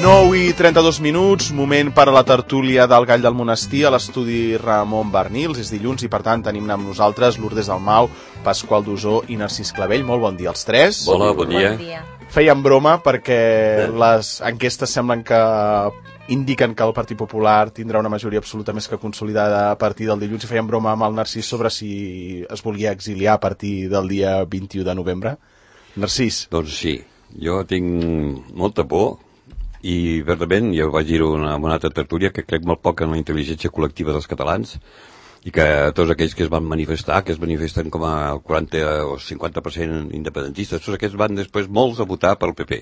9:32, moment per a la tertúlia del Gall del Monestir a l'estudi Ramon Bernils. És dilluns i per tant tenim amb nosaltres Lourdes Dalmau, Pasqual Dusó i Narcís Clavell. Molt bon dia als tres. Hola, bon dia. Fèiem broma perquè les enquestes semblen que indiquen que el Partit Popular tindrà una majoria absoluta més que consolidada a partir del dilluns, i fèiem broma amb el Narcís sobre si es volia exiliar a partir del dia 21 de novembre. Narcís. Doncs sí, jo tinc molta por i verdament, jo vaig dir-ho en una altra tertúlia, que crec molt poc en la intel·ligència col·lectiva dels catalans i que tots aquells que es van manifestar, que es manifesten com a 40 o 50% independentistes, tots aquests van després molts a votar pel PP,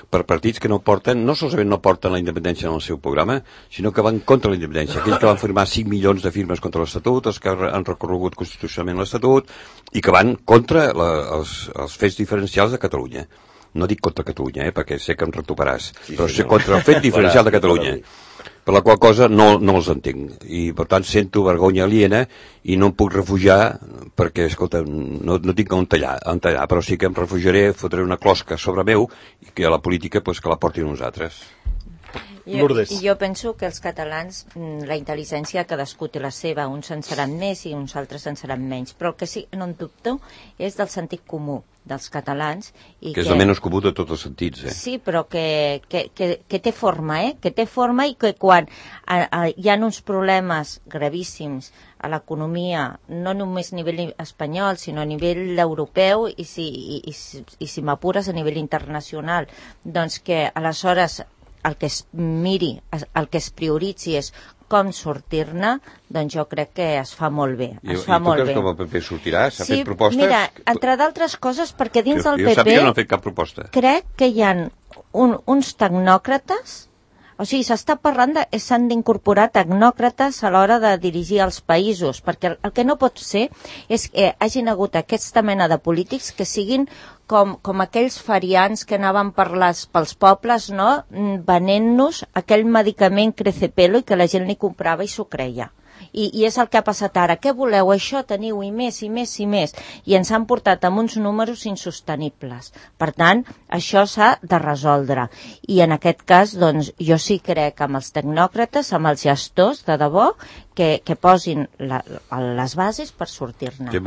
per partits que no porten, no solament no porten la independència en el seu programa, sinó que van contra la independència. Aquells que van firmar 5 milions de firmes contra l'Estatut, els que han recorregut constitucionalment l'Estatut i que van contra els fets diferencials de Catalunya. No dic contra Catalunya, perquè sé que em recuperaràs, però sé contra el fet diferencial de Catalunya, per la qual cosa no els entenc. I, per tant, sento vergonya aliena i no em puc refugiar perquè, escolta, no tinc on tallar, però sí que em refugiaré, fotré una closca sobre meu i que a la política pues, que la portin nosaltres. Jo penso que els catalans, la intel·ligència cadascú té la seva, uns en seran més i uns altres en seran menys, però el que sí no en dubto és del sentit comú dels catalans. I que és el menys comú de tots els sentits, Sí, però que té forma, que té forma i que quan hi ha uns problemes gravíssims a l'economia, no només a nivell espanyol, sinó a nivell europeu i si m'apures a nivell internacional, doncs que aleshores el que es miri, el que es prioritzi és com sortir-ne, doncs jo crec que es fa molt bé. I tu creus que el PP sortirà? S'ha fet propostes? Mira, entre d'altres coses, perquè dins del PP... Jo sàpiga, no ha fet cap proposta. Crec que hi ha uns tecnòcrates, o sigui, s'està parlant de s'han d'incorporar tecnòcrates a l'hora de dirigir els països, perquè el que no pot ser és que hagin hagut aquesta mena de polítics que siguin com aquells farians que anaven pels pobles, no?, venent-nos aquell medicament Crecepelo i que la gent li comprava i s'ho creia. I és el que ha passat ara. Què voleu? Això teniu i més i més i més. I ens han portat amb uns números insostenibles. Per tant, això s'ha de resoldre. I en aquest cas, doncs, jo sí crec amb els tecnòcrates, amb els gestors, de debò, que posin les bases per sortir-ne. Té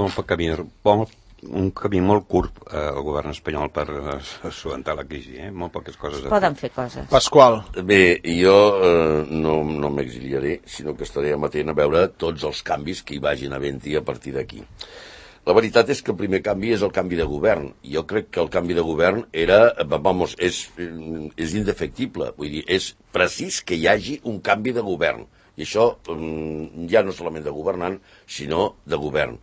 un camí molt curt al govern espanyol per solucionar la crisi, molt poques coses. Poden fer coses. Pasqual. Bé, jo no m'exiliaré, sinó que estaré amatent a veure tots els canvis que hi vagin havent-hi a partir d'aquí. La veritat és que el primer canvi és el canvi de govern. Jo crec que el canvi de govern és indefectible, vull dir, és precís que hi hagi un canvi de govern. I això ja no solament de governant, sinó de govern.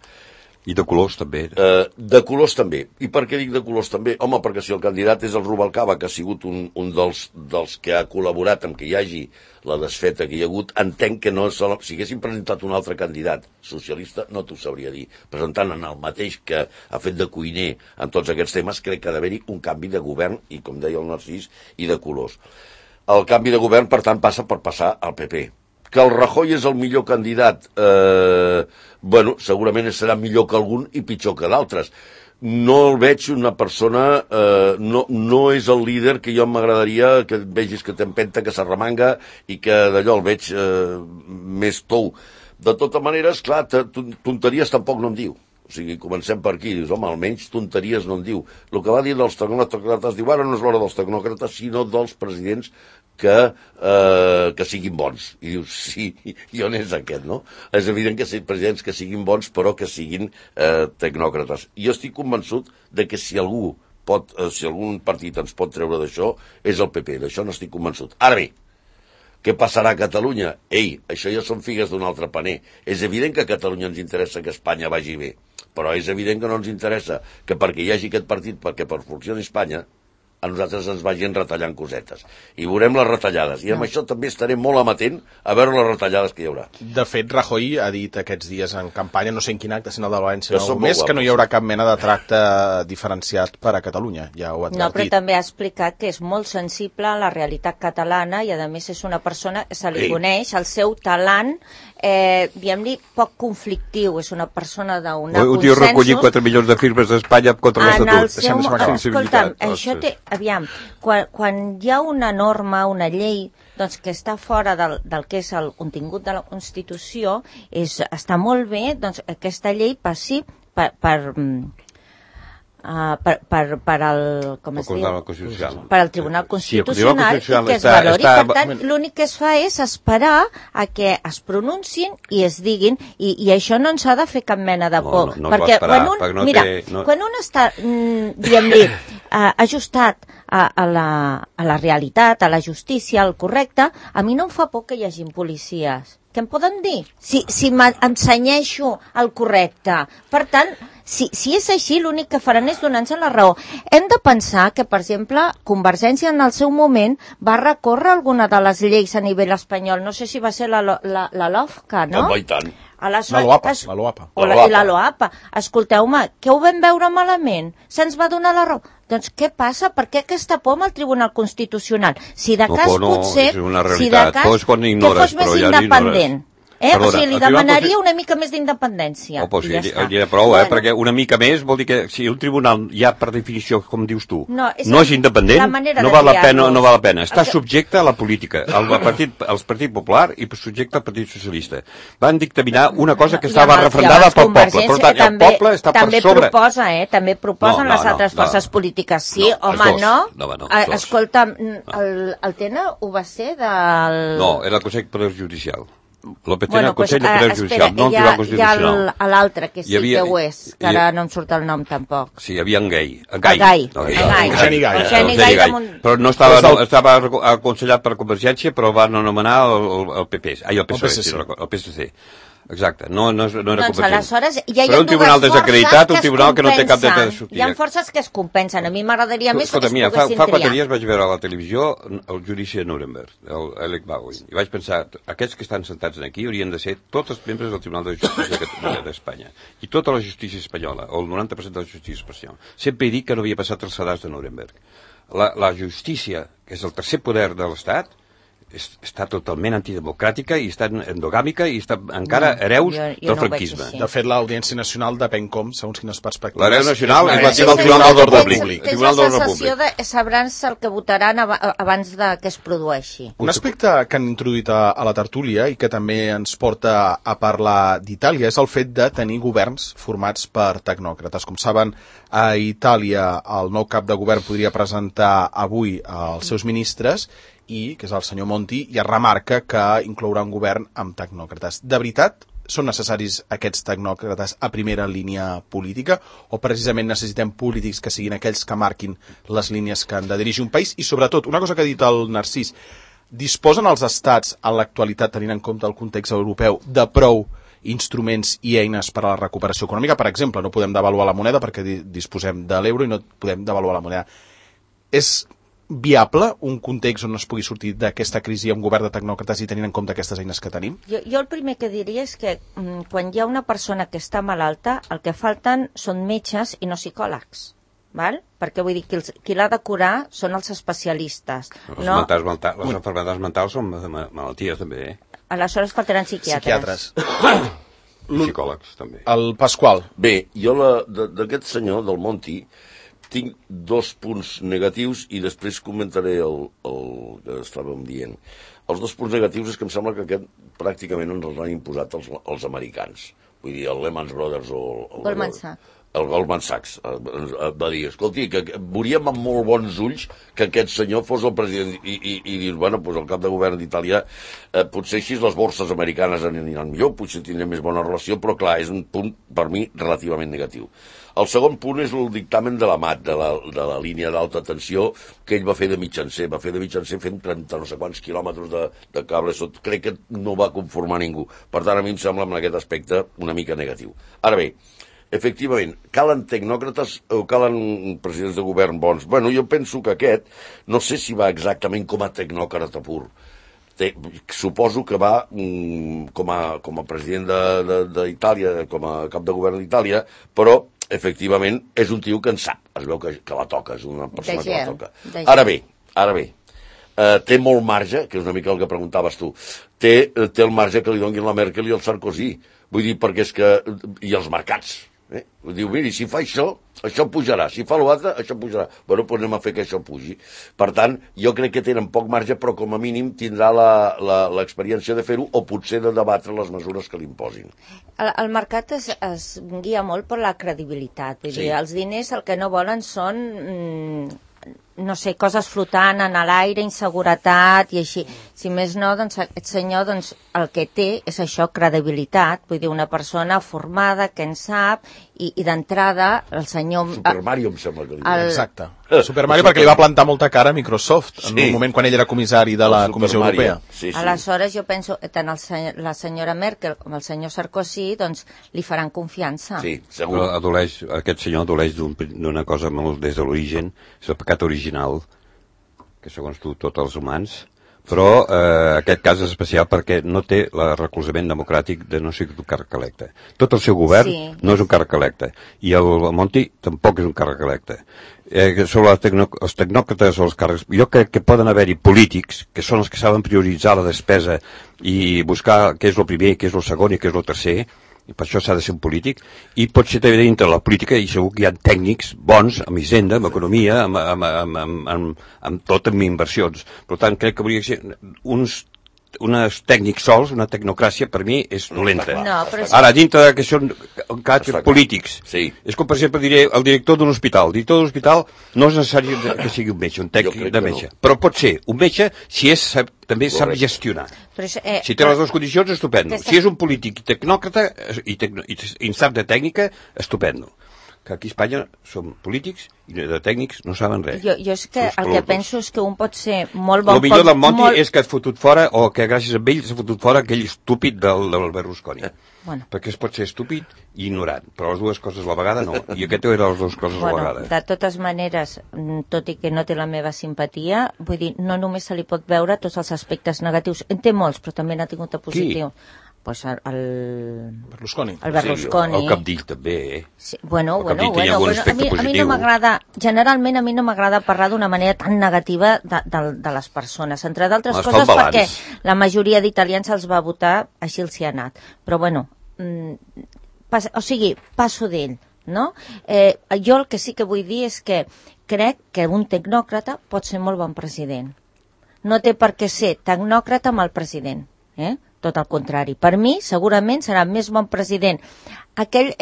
I de colors també. De colors també. I per què dic de colors també? Home, perquè si el candidat és el Rubalcaba, que ha sigut un dels que ha col·laborat amb que hi hagi la desfeta que hi ha hagut, entenc que si haguessin presentat un altre candidat socialista, no t'ho sabria dir. Presentant en el mateix que ha fet de cuiner en tots aquests temes, crec que ha d'haver-hi un canvi de govern, i com deia el Narcís, i de colors. El canvi de govern, per tant, passa per passar al PP. Que el Rajoy és el millor candidat, segurament serà millor que algun i pitjor que d'altres. No el veig una persona, no és el líder que jo m'agradaria que vegis que t'empenta, que s'arremanga i que d'allò el veig més tou. De tota manera, esclar, tonteries tampoc no en diu. O sigui, comencem per aquí, dius, home, almenys tonteries no en diu. El que va dir dels tecnòcrates, diu, ara no és l'hora dels tecnòcrates, sinó dels presidents que siguin bons. I dius, sí, i on és aquest, no? És evident que siguin presidents que siguin bons, però que siguin tecnòcrates. I jo estic convençut de que si algun partit ens pot treure d'això, és el PP, d'això no estic convençut. Ara bé, què passarà a Catalunya? Ei, això ja són figues d'un altre paner. És evident que a Catalunya ens interessa que Espanya vagi bé, però és evident que no ens interessa que perquè hi hagi aquest partit, perquè per funcioni Espanya, a nosaltres ens vagin retallant cosetes. I veurem les retallades. I amb això també estaré molt amatent a veure les retallades que hi haurà. De fet, Rajoy ha dit aquests dies en campanya, no sé en quin acte, sinó el de València, que no hi haurà cap mena de tracte diferenciat per a Catalunya. Ja ho ha advertit. No, però també ha explicat que és molt sensible a la realitat catalana i, a més, és una persona que se li coneix el seu talent, diguem-li, poc conflictiu. És una persona d'un consensos. Un dia recollir 4 milions de firmes d'Espanya contra l'Estatut. Escolta'm, això té aviam, quan hi ha una norma, una llei, doncs que està fora del que és el contingut de la Constitució, està molt bé doncs, aquesta llei passi per al Tribunal Constitucional i que es valori. Per tant, l'únic que es fa és esperar a que es pronunciin i es diguin, i això no ens ha de fer cap mena de por. Perquè quan un està, diguem-li, ajustat a la realitat, a la justícia, al correcte, a mi no em fa por que hi hagin policies. Què em poden dir? Si m'ensenyeixo el correcte. Per tant, si és així, l'únic que faran és donar-nos la raó. Hem de pensar que, per exemple, Convergència en el seu moment va recórrer alguna de les lleis a nivell espanyol. No sé si va ser la LOFCA, no? Home, i tant. La LOAPA. Escolteu-me, què ho vam veure malament? Se'ns va donar la raó. Doncs què passa? Per què aquesta por amb el Tribunal Constitucional? Si de cas potser... És una realitat. Que fos més independent. O sigui, li demanaria una mica més d'independència. Prou, perquè una mica més vol dir que si un tribunal ja per definició, com dius tu, no és independent, no val la pena. Està subjecte a la política, al Partit Popular i subjecte al Partit Socialista. Van dictaminar una cosa que estava refrendada pel poble. Per tant, el poble està per sobre. També proposen les altres forces polítiques. Sí, home, no. Escolta, el TENA ho va ser del... No, era el Consell Poder Judicial. L'OPT el Consell de Poder Judicial, no el Tribunal Constitucional. Hi ha l'altre, que sí que ho és, que ara no em surt el nom tampoc. Sí, hi havia en Gai. Eugeni Gai. Però no estava aconsellat per Convergència, però van anomenar el PP, el PSC. Exacte, no era Convergència. Però un tribunal desacreditat, un tribunal que no té cap dret de sortida. Hi ha forces que es compensen. A mi m'agradaria més que es poguessin triar. Fa 4 dies vaig veure a la televisió el judici de Nuremberg, l'Alec Baldwin, i vaig pensar, aquests que estan sentats aquí haurien de ser tots els membres del Tribunal de Justícia d'Espanya. I tota la justícia espanyola, o el 90% de la justícia espanyola. Sempre he dit que no havia passat els sedars de Nuremberg. La justícia, que és el tercer poder de l'Estat, està totalment antidemocràtica i està endogàmica i està encara hereus del franquisme. De fet, l'Audiència Nacional depèn com, segons quines perspectives. L'Audiència Nacional és el Tribunal d'Ordre Públic. Tens la sensació de sabran el que votaran abans de que es produeixi. Un aspecte que han introduït a la tertúlia i que també ens porta a parlar d'Itàlia és el fet de tenir governs formats per tecnòcrates. Com saben, a Itàlia el nou cap de govern podria presentar avui els seus ministres i, que és el senyor Monti, ja remarca que inclourà un govern amb tecnòcrates. De veritat, són necessaris aquests tecnòcrates a primera línia política o precisament necessitem polítics que siguin aquells que marquin les línies que han de dirigir un país? I sobretot, una cosa que ha dit el Narcís, disposen els estats en l'actualitat, tenint en compte el context europeu, de prou instruments i eines per a la recuperació econòmica? Per exemple, no podem devaluar la moneda perquè disposem de l'euro i no podem devaluar la moneda. És viable un context on es pugui sortir d'aquesta crisi amb un govern de tecnòcrates i tenint en compte aquestes eines que tenim? Jo el primer que diria és que quan hi ha una persona que està malalta, el que falten són metges i no psicòlegs. Val? Perquè vull dir, qui l'ha de curar són els especialistes. Les malalties mentals són malalties també, Aleshores faltaran psiquiatres. Psicòlegs també. El Pasqual. Bé, jo d'aquest senyor, del Monti, tinc 2 punts negatius i després comentaré el que estàvem dient. Els 2 punts negatius és que em sembla que aquest pràcticament ens els han imposat els americans. Vull dir, el Lehman Brothers o el Goldman Sachs va dir, escolti, que veuríem amb molt bons ulls que aquest senyor fos el president i dius, bueno, doncs el cap de govern d'Itàlia potser així les borses americanes aniran millor, potser tindrem més bona relació, però clar, és un punt per mi relativament negatiu. El segon punt és el dictamen de la MAT, de la línia d'alta tensió que ell va fer de mitjancer. Va fer de mitjancer fent 30 no sé quants quilòmetres de cable. Crec que no va conformar ningú. Per tant, a mi em sembla en aquest aspecte una mica negatiu. Ara bé, efectivament, calen tecnòcrates o calen presidents de govern bons? Bueno, jo penso que aquest, no sé si va exactament com a tecnòcrata pur. Suposo que va com a president d'Itàlia, com a cap de govern d'Itàlia, però efectivament és un tio que en sap, es veu que la toca, és una persona que la toca. Ara bé, té molt marge, que és una mica el que preguntaves tu, té el marge que li donguin la Merkel i el Sarkozy, vull dir, perquè és que, i els mercats, Diu, miri, si fa això pujarà. Si fa l'altre, això pujarà. Bueno, doncs anem a fer que això pugi. Per tant, jo crec que tenen poc marge, però com a mínim tindrà l'experiència de fer-ho o potser de debatre les mesures que li imposin. El mercat es guia molt per la credibilitat. Vull dir, els diners el que no volen són... no sé, coses flotant en l'aire, inseguretat i així. Si més no, doncs aquest senyor el que té és això, credibilitat, vull dir, una persona formada que en sap i d'entrada el senyor... Super Mario em sembla que li diu. Exacte. Super Mario perquè li va plantar molta cara a Microsoft en un moment quan ell era comissari de la Comissió Europea. Aleshores jo penso que tant la senyora Merkel com el senyor Sarkozy doncs li faran confiança. Sí, segur. Aquest senyor adoleix d'una cosa molt des de l'origen, és el pecat original, que segons tu tots els humans, però aquest cas és especial perquè no té el recolzament democràtic de no ser un càrrec electe. Tot el seu govern no és un càrrec electe, i el Monti tampoc és un càrrec electe. Sobre els tecnòcrates o els càrrecs, jo crec que poden haver-hi polítics, que són els que saben prioritzar la despesa i buscar què és el primer, què és el segon i què és el tercer, i per això s'ha de ser un polític, i pot ser també dintre la política, i segur que hi ha tècnics bons amb hisenda, amb economia, amb tot, amb inversions. Per tant, crec que hauria de ser uns tècnics sols, una tecnocràcia, per mi, és dolenta. Ara, dintre que són polítics, és com, per exemple, diré el director d'un hospital. El director d'un hospital no és necessari que sigui un metge, un tècnic de metge, però pot ser un metge si també sap gestionar. Si té les dues condicions, estupendo. Si és un polític tecnòcrata i sap de tècnica, estupendo. Que aquí a Espanya som polítics i de tècnics no saben res. Jo és que el que penso és que un pot ser molt bon... El millor del Monti és que has fotut fora, o que gràcies a ell s'ha fotut fora aquell estúpid del Berlusconi. Perquè es pot ser estúpid i ignorant, però les dues coses a la vegada no. I aquest era les dues coses a la vegada. De totes maneres, tot i que no té la meva simpatia, vull dir, no només se li pot veure tots els aspectes negatius. En té molts, però també n'ha tingut de positiu. Pues el Berlusconi. El Berlusconi. El Cabdill també, Sí, bueno, a mi no m'agrada, generalment a mi no m'agrada parlar d'una manera tan negativa de les persones, entre d'altres coses perquè la majoria d'italians els va votar, així els hi ha anat. Però bueno, passo d'ell, no? Jo el que sí que vull dir és que crec que un tecnòcrata pot ser molt bon president. No té per què ser tecnòcrata amb el president, tot el contrari. Per mi, segurament, serà més bon president. Aquell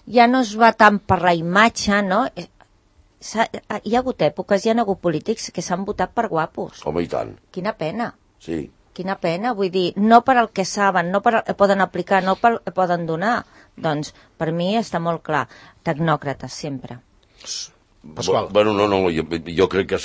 ja no es va tant per la imatge, no? Hi ha hagut èpoques, hi ha hagut polítics que s'han votat per guapos. Home, i tant. Quina pena. Sí. Quina pena, vull dir, no per el que saben, no per el que poden aplicar, no per el que poden donar. Doncs, per mi està molt clar. Tecnòcrates, sempre. Pasqual. Bueno, no, jo crec que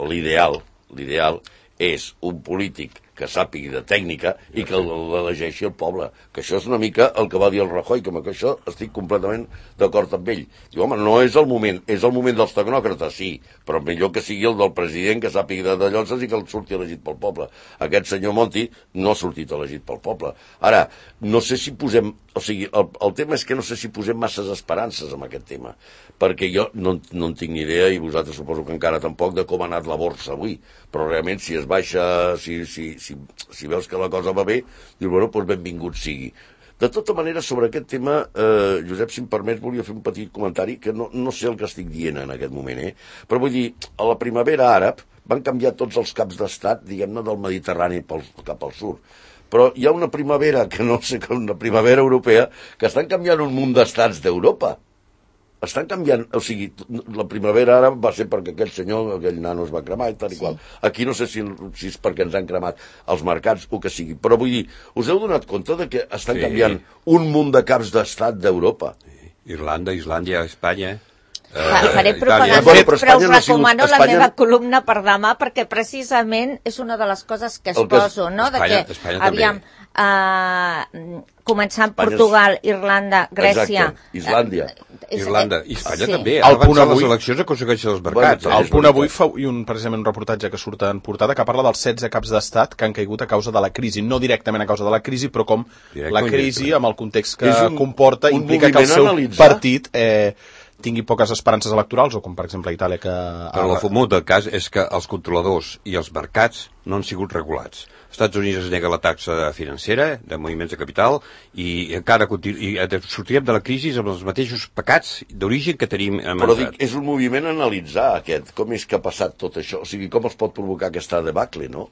l'ideal és un polític que sàpigui de tècnica i que l'elegeixi el poble. Que això és una mica el que va dir el Rajoy, que amb això estic completament d'acord amb ell. Diu, home, no és el moment, és el moment dels tecnòcrates, sí, però millor que sigui el del president que sàpigui de lloses i que el surti elegit pel poble. Aquest senyor Monti no ha sortit elegit pel poble. Ara, no sé si posem... O sigui, el tema és que no sé si posem masses esperances en aquest tema, perquè jo no en tinc ni idea, i vosaltres suposo que encara tampoc, de com ha anat la borsa avui. Però realment, si es baixa, si veus que la cosa va bé, dius, bueno, doncs benvingut sigui. De tota manera, sobre aquest tema, Josep, si em permets, volia fer un petit comentari, que no sé el que estic dient en aquest moment, però vull dir, a la primavera àrab van canviar tots els caps d'estat, diguem-ne, del Mediterrani cap al sud. Però hi ha una primavera, que no sé, una primavera europea, que estan canviant un munt d'estats d'Europa. Estan canviant, o sigui, la primavera ara va ser perquè aquell nano es va cremar i tal i qual. Aquí no sé si és perquè ens han cremat els mercats o que sigui, però vull dir, us heu donat compte de que estan canviant un munt de caps d'estat d'Europa? Irlanda, Islàndia, Espanya... Faré propaganda, però us recomano la meva columna per demà, perquè precisament és una de les coses que poso, no? Aviam, començant Portugal, Irlanda, Grècia... Islàndia. Irlanda i Espanya també. Al punt avui les eleccions aconsegueixen els mercats. Al punt avui fa precisament un reportatge que surt en portada que parla dels 16 caps d'estat que han caigut a causa de la crisi. No directament a causa de la crisi, però com la crisi, amb el context que comporta, implica que el seu partit tingui poques esperances electorals, o com per exemple a Itàlia que... Però el fumut del cas és que els controladors i els mercats no han sigut regulats. Els Estats Units es nega la taxa financera de moviments de capital i encara sortirem de la crisi amb els mateixos pecats d'origen que tenim Però dic, és un moviment analitzar aquest, com és que ha passat tot això, o sigui, com es pot provocar aquesta debacle, no?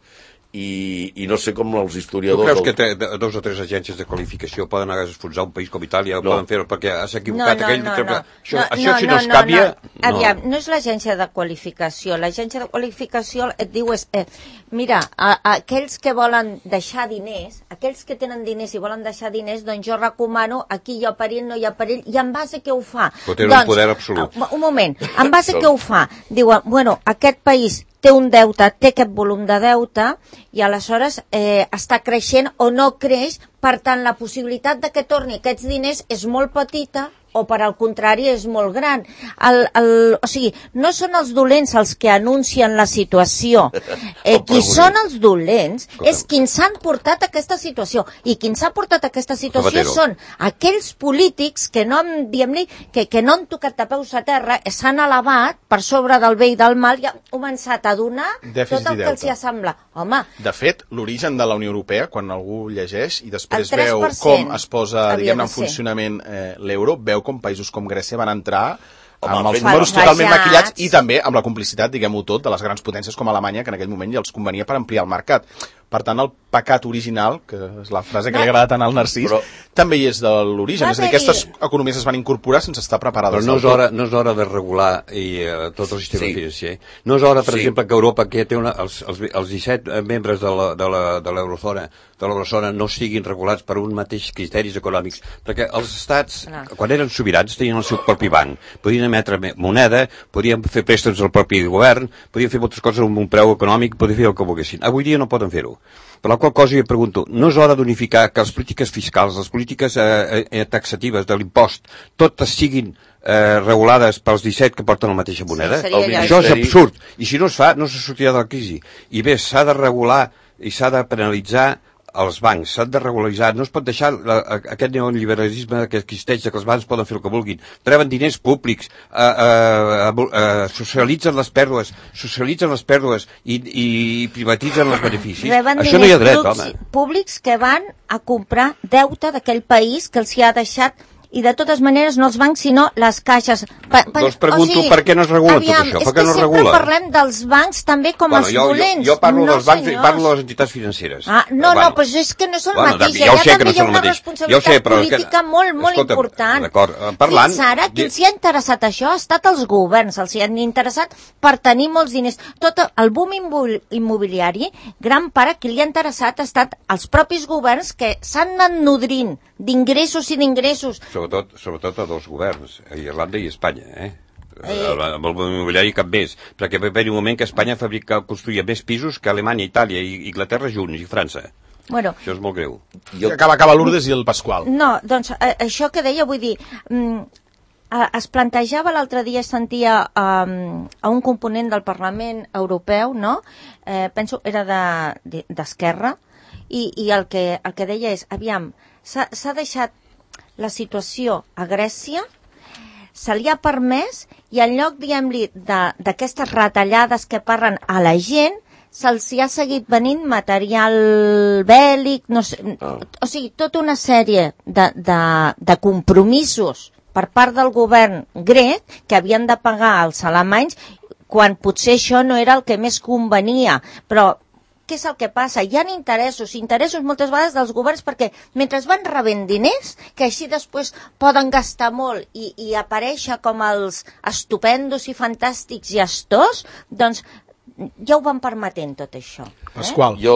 I no sé com els Tu historiadors... creus que 2 o 3 agències de qualificació poden enfonsar un país com Itàlia, poden fer-ho perquè s'ha equivocat aquell... Això si no es canvia... Aviam, no és l'agència de qualificació. L'agència de qualificació et diu mira, aquells que volen deixar diners, aquells que tenen diners i volen deixar diners, doncs jo recomano, aquí hi ha perill, no hi ha perill, i en base a què ho fa? Però té un poder absolut. Un moment, en base a què ho fa? Diuen, bueno, aquest país té un deute, té aquest volum de deute i aleshores està creixent o no creix, per tant la possibilitat de que torni aquests diners és molt petita o per al contrari és molt gran. O sigui, no són els dolents els que anuncien la situació. Qui són els dolents és qui ens han portat a aquesta situació. I qui ens ha portat a aquesta situació són aquells polítics que no, diguem-li, que no han tocat de peus a terra, s'han elevat per sobre del bé i del mal i han començat a donar tot el que els hi sembla. Home. De fet, l'origen de la Unió Europea, quan algú llegeix i després veu com es posa, diguem-ne, en funcionament l'euro, veu com països com Grècia van entrar amb els números totalment maquillats i també amb la complicitat, diguem-ho tot, de les grans potències com Alemanya, que en aquell moment ja els convenia per ampliar el mercat. Per tant, el pecat original, que és la frase que li agrada tant al Narcís, també hi és de l'origen. És a dir, aquestes economies es van incorporar sense estar preparades. Però no és hora de regular tot el sistema financer. No és hora, per exemple, que Europa, que té els 17 membres de l'eurozona no siguin regulats per un mateix criteris econòmics. Perquè els estats, quan eren sobirans, tenien el seu propi banc. Podien emetre moneda, podien fer préstecs al propi govern, podien fer moltes coses amb un preu econòmic, podien fer el que volguessin. Avui dia no poden fer-ho. Per la qual cosa jo pregunto, no és hora d'unificar que les polítiques fiscals, les polítiques taxatives de l'impost, totes siguin regulades pels 17 que porten la mateixa moneda? Això és absurd. I si no es fa, no se sortirà de la crisi. I bé, s'ha de regular i s'ha de penalitzar els bancs, s'han de regularitzar, no es pot deixar aquest neoliberalisme que existeix, que els bancs poden fer el que vulguin, reben diners públics, socialitzen les pèrdues i privatitzen els beneficis. Això no hi ha dret, home. Públics que van a comprar deute d'aquell país que els hi ha deixat, i de totes maneres no els bancs sinó les caixes. Doncs pregunto per què no es regula tot això, per què no es regula? És que sempre parlem dels bancs també com els dolents. Jo parlo dels bancs i parlo de les entitats financeres. No, però és que no són el mateix. Allà també hi ha una responsabilitat política molt important. Fins ara, qui els hi ha interessat això ha estat els governs, els hi han interessat per tenir molts diners. Tot el boom immobiliari, gran part qui li ha interessat ha estat els propis governs que s'han anat nodrint d'ingressos i d'ingressos. Sobretot a dos governs, a Irlanda i Espanya, amb el immobiliari cap més, perquè va haver un moment que Espanya construïa més pisos que Alemanya, Itàlia i Inglaterra junts, i França. Bueno, això és molt greu. Acaba Lourdes i el Pasqual. No, doncs això que deia, vull dir, es plantejava l'altre dia, sentia a un component del Parlament Europeu, no? Penso era d'Esquerra, i el que deia és, aviam, s'ha deixat la situació a Grècia, se li ha permès i en lloc, diguem-li, d'aquestes retallades que parlen a la gent, se'ls ha seguit venint material bèl·lic, no sé, o sigui, tota una sèrie de compromisos per part del govern grec que havien de pagar als alemanys quan potser això no era el que més convenia, però què és el que passa? Hi ha interessos moltes vegades dels governs perquè mentre van rebent diners, que així després poden gastar molt i aparèixer com els estupendos i fantàstics gestors, doncs ja ho van permetent tot això. Pasqual. Jo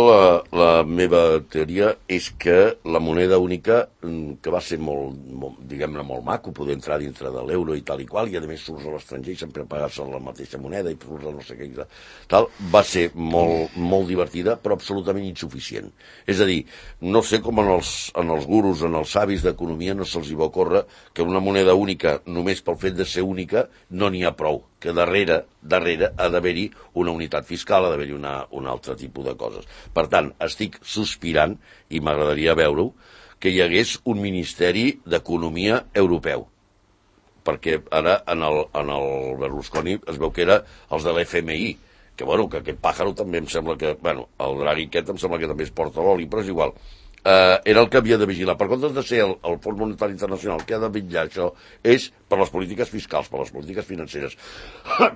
la meva teoria és que la moneda única, que va ser diguem-ne, molt maco, poder entrar dintre de l'euro i tal i qual, i a més surts a l'estranger i sempre pagar-se la mateixa moneda i surts a no sé què, tal, va ser molt divertida, però absolutament insuficient. És a dir, no sé com en els gurus, en els savis d'economia no se'ls hi va ocórrer que una moneda única, només pel fet de ser única, no n'hi ha prou, que darrere ha d'haver-hi una unitat fiscal, ha d'haver-hi un altre tipus de coses. Per tant, estic sospirant, i m'agradaria veure-ho, que hi hagués un Ministeri d'Economia europeu. perquè ara en el Berlusconi es veu que era els de l'FMI, que bueno, que aquest pàjaro també em sembla que, bueno, el Draghi aquest em sembla que també es porta l'oli, però és igual. Era el que havia de vigilar. Per comptes de ser el Fons Monetari Internacional que ha de vigilar això, és per les polítiques fiscals, per les polítiques financeres,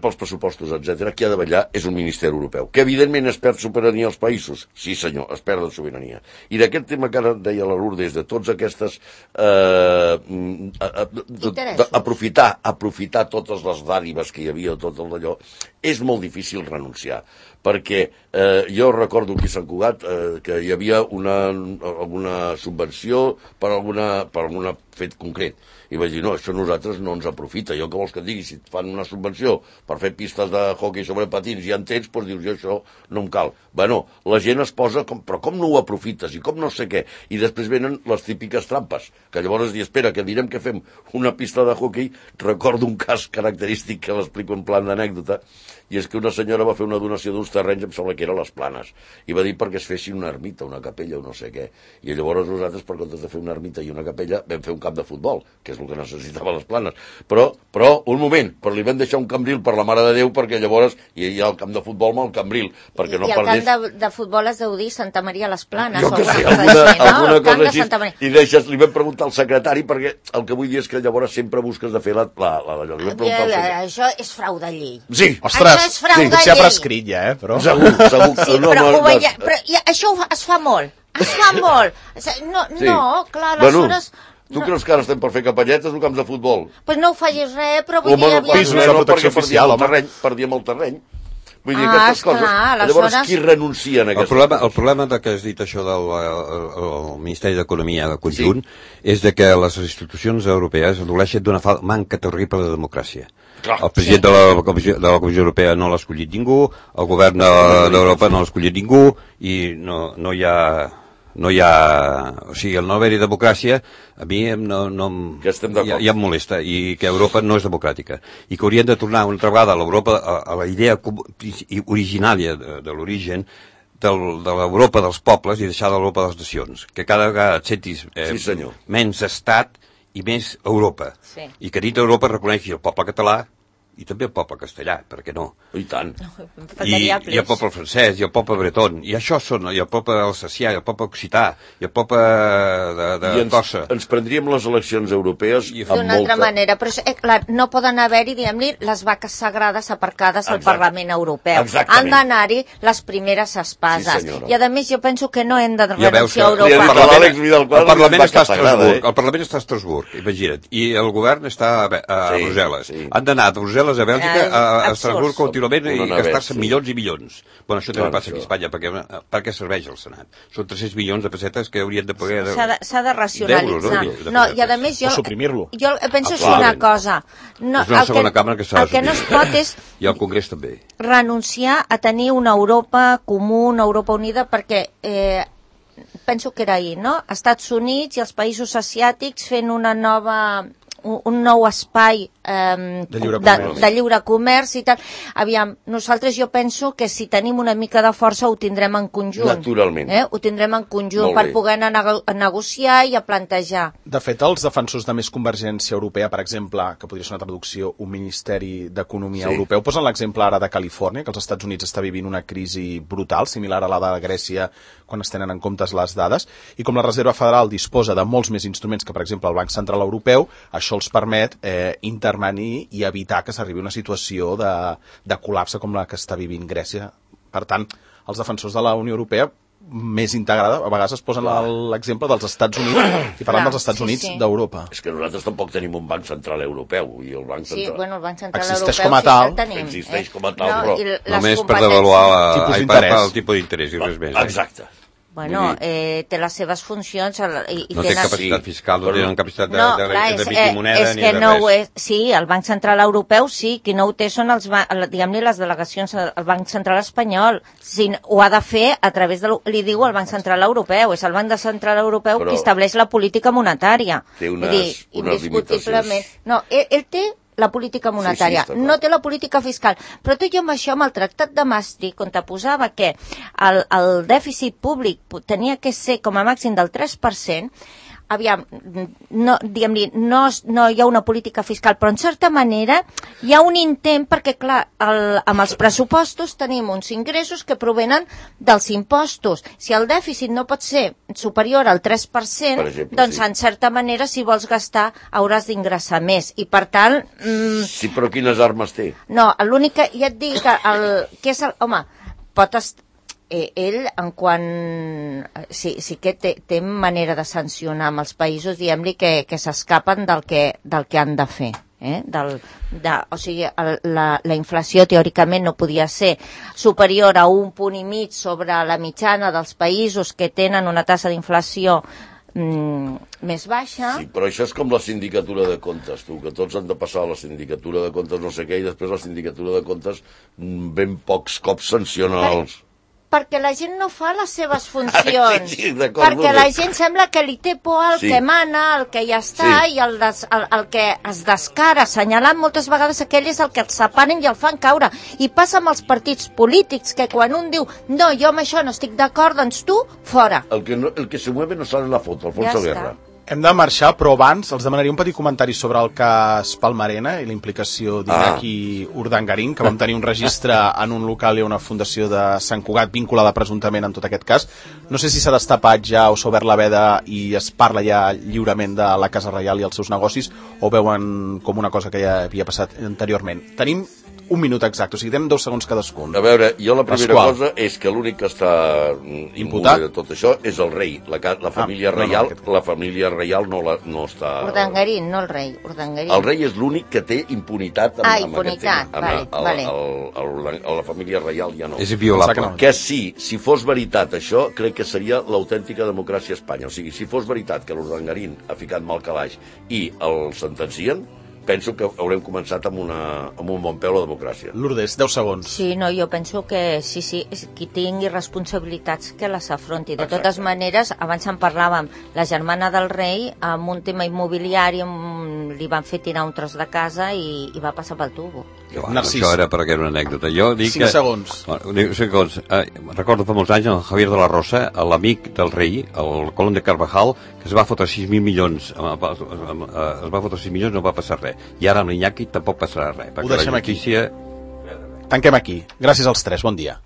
pels pressupostos, etc. Qui ha de vetllar és un Ministeri Europeu, que evidentment es perd sobirania als països. Sí, senyor, es perd de sobirania. I d'aquest tema que ara deia la Lourdes, de tots aquestes... aprofitar totes les dàdives que hi havia, tot el d'allò, és molt difícil renunciar, perquè jo recordo aquí a Sant Cugat que hi havia alguna subvenció per alguna fet concret, i vaig dir, no, això a nosaltres no ens aprofita. Jo què vols que et digui? Si et fan una subvenció per fer pistes de hoquei sobre patins i ja en tens, doncs dius, jo això no em cal. Bueno, la gent es posa, però com no ho aprofites i com no sé què? I després venen les típiques trampes, que llavors dius, espera, que direm que fem una pista de hoquei. Recordo un cas característic que l'explico en plan d'anècdota, i és que una senyora va fer una donació d'uns terrenys, em sembla que era les Planes, i va dir perquè es fessin una ermita, una capella o no sé què. I llavors nosaltres, per comptes de fer una ermita i una capella, vam fer un camp de futbol, que és el que necessitava les Planes. Però un moment, però li vam deixar un cambril per la Mare de Déu, perquè llavors hi ha el camp de futbol amb el cambril, perquè no perdés... I el camp de futbol es deu dir Santa Maria les Planes, jo o que sé, alguna cosa així. I deixes, li vam preguntar al secretari, perquè el que vull dir és que llavors sempre busques de fer això és frau de llei. Sí, ostres, això és frau de llei. S'ha prescrit ja, però... Segur. Sí, però això es fa molt. Es fa molt. No, clar, aleshores... Tu creus que ara estem per fer capelletes o camps de futbol? Pues no ho facis res, però vull dir... Protecció oficial, home. Perdíem el terreny. Vull dir, aquestes coses. Llavors, qui renuncia en aquestes coses? El problema que has dit això del Ministeri d'Economia conjunt és de que les institucions europees adoleixen d'una manca terrible de democràcia. El president de la Comissió Europea no l'ha escollit ningú, el govern d'Europa no l'ha escollit ningú, i no hi ha... O sigui, el no haver-hi democràcia a mi ja em molesta, i que Europa no és democràtica, i que haurien de tornar una altra vegada a l'Europa, a la idea originària de l'origen de l'Europa dels pobles i deixar l'Europa de les nacions, que cada vegada et sentis menys estat i més Europa, i que dit Europa reconeixi el poble català i també el poble castellà, per què no? I tant. I el poble francès, i el poble breton, i això són, i el poble alsacià, i el poble occità, i el poble de Tossa. Ens prendríem les eleccions europees d'una altra manera, però clar, no poden haver-hi, diguem-li, les vaques sagrades aparcades al Parlament Europeu. Han d'anar-hi les primeres espases. I a més jo penso que no hem de renunciar a Europa. El Parlament està a Estrasburg, imagina't, i el govern està a Brussel·les. Han d'anar de Brussel·les a Bèlgica, a Estrasburg contínuament, i gastar-se milions i milions. Bueno, això també passa aquí a Espanya, per què serveix el Senat? Són 300 milions de pessetes que haurien de pagar... S'ha de racionalitzar. No, i a més jo penso així una cosa. És una segona càmera que s'ha de... El que no es pot és... I el Congrés també. Renunciar a tenir una Europa comú, una Europa unida, perquè... penso que era ahir, no? Estats Units i els països asiàtics fent un nou espai de lliure comerç i tal. Aviam, nosaltres jo penso que si tenim una mica de força ho tindrem en conjunt. Naturalment. Ho tindrem en conjunt per poder anar a negociar i a plantejar. De fet, els defensors de més convergència europea, per exemple, que podria ser una traducció, un Ministeri d'Economia europeu, posen l'exemple ara de Califòrnia, que els Estats Units està vivint una crisi brutal, similar a la de Grècia, quan es tenen en compte les dades, i com la Reserva Federal disposa de molts més instruments que, per exemple, el Banc Central Europeu, això els permet intervenir i evitar que s'arribi a una situació de col·lapse com la que està vivint Grècia. Per tant, els defensors de la Unió Europea més integrada, a vegades es posen l'exemple dels Estats Units i parlant dels Estats Units d'Europa. És que nosaltres tampoc tenim un Banc Central Europeu i el Banc Central... Sí, bueno, el Banc Central existeix Europeu com a tal. Existeix com a tal, però... Només per devaluar el tipus d'interès i res més. Exacte. Bueno, té les seves funcions... No té capacitat fiscal, no té capacitat d'emitir moneda ni de res. Sí, el Banc Central Europeu sí, qui no ho té són diguem-ne les delegacions al Banc Central Espanyol. Ho ha de fer a través de... Li diu el Banc Central Europeu, és el Banc Central Europeu qui estableix la política monetària. Té unes limitacions. No, ell té la política monetària, no té la política fiscal. Però tot i amb això, amb el Tractat de Maastricht, on te posava que el dèficit públic tenia que ser com a màxim del 3%, aviam, no hi ha una política fiscal, però en certa manera hi ha un intent perquè, clar, amb els pressupostos tenim uns ingressos que provenen dels impostos. Si el dèficit no pot ser superior al 3%, exemple, doncs en certa manera si vols gastar hauràs d'ingressar més. I per tant... Sí, però quines armes té? No, l'únic que ja et dic que és home, pot estar... ell, en quant... Sí que té manera de sancionar amb els països, diguem-li, que s'escapen del que han de fer. O sigui, la inflació teòricament no podia ser superior a 1,5 punts sobre la mitjana dels països que tenen una tassa d'inflació més baixa. Sí, però això és com la sindicatura de comptes, tu, que tots han de passar a la sindicatura de comptes no sé què, i després la sindicatura de comptes ben pocs cops sanciona els... Perquè la gent no fa les seves funcions. Sí, perquè la gent sembla que li té por al que mana, al que ja està, i el que es descara, assenyalant moltes vegades aquell és el que el separen i el fan caure. I passa amb els partits polítics, que quan un diu, no, jo amb això no estic d'acord, doncs tu, fora. El que se mueve no sale en la foto, Alfonso Guerra. Hem de marxar, però abans els demanaria un petit comentari sobre el cas Palmarena i la implicació d'Iñaki Urdangarín, que vam tenir un registre en un local i una fundació de Sant Cugat vinculada presumptament en tot aquest cas. No sé si s'ha destapat ja o s'ha obert la veda i es parla ja lliurement de la Casa Reial i els seus negocis, o veuen com una cosa que ja havia passat anteriorment. Tenim un minut exacte, o sigui, tenen 2 segons cadascun. A veure, jo la primera cosa és que l'únic que està imputat de tot això és el rei, la família reial. La família reial no està... Urdangarín, no el rei, Urdangarín. El rei és l'únic que té impunitat amb impunitat, vale. La família reial ja no. És inviolable. Que sí, si fos veritat això, crec que seria l'autèntica democràcia a Espanya. O sigui, si fos veritat que l'Urdangarín ha ficat mal calaix i el sentencien, penso que haurem començat amb un bon peu la democràcia. Lourdes, 10 segons. Sí, no, jo penso que sí, qui tingui responsabilitats que les afronti. De totes maneres, abans en parlàvem, la germana del rei, amb un tema immobiliari, li van fer tirar un tros de casa i va passar pel tubo. Això era perquè era una anècdota. Jo dic 5 segons. 5 segons. Recordo fa molts anys el Javier de la Rosa, l'amic del rei, el Colón de Carvajal, que es va fotre 6.000 milions, no va passar res. I ara amb l'Iñaki tampoc passarà res. Ho deixem aquí. Tanquem aquí. Gràcies als 3, bon dia.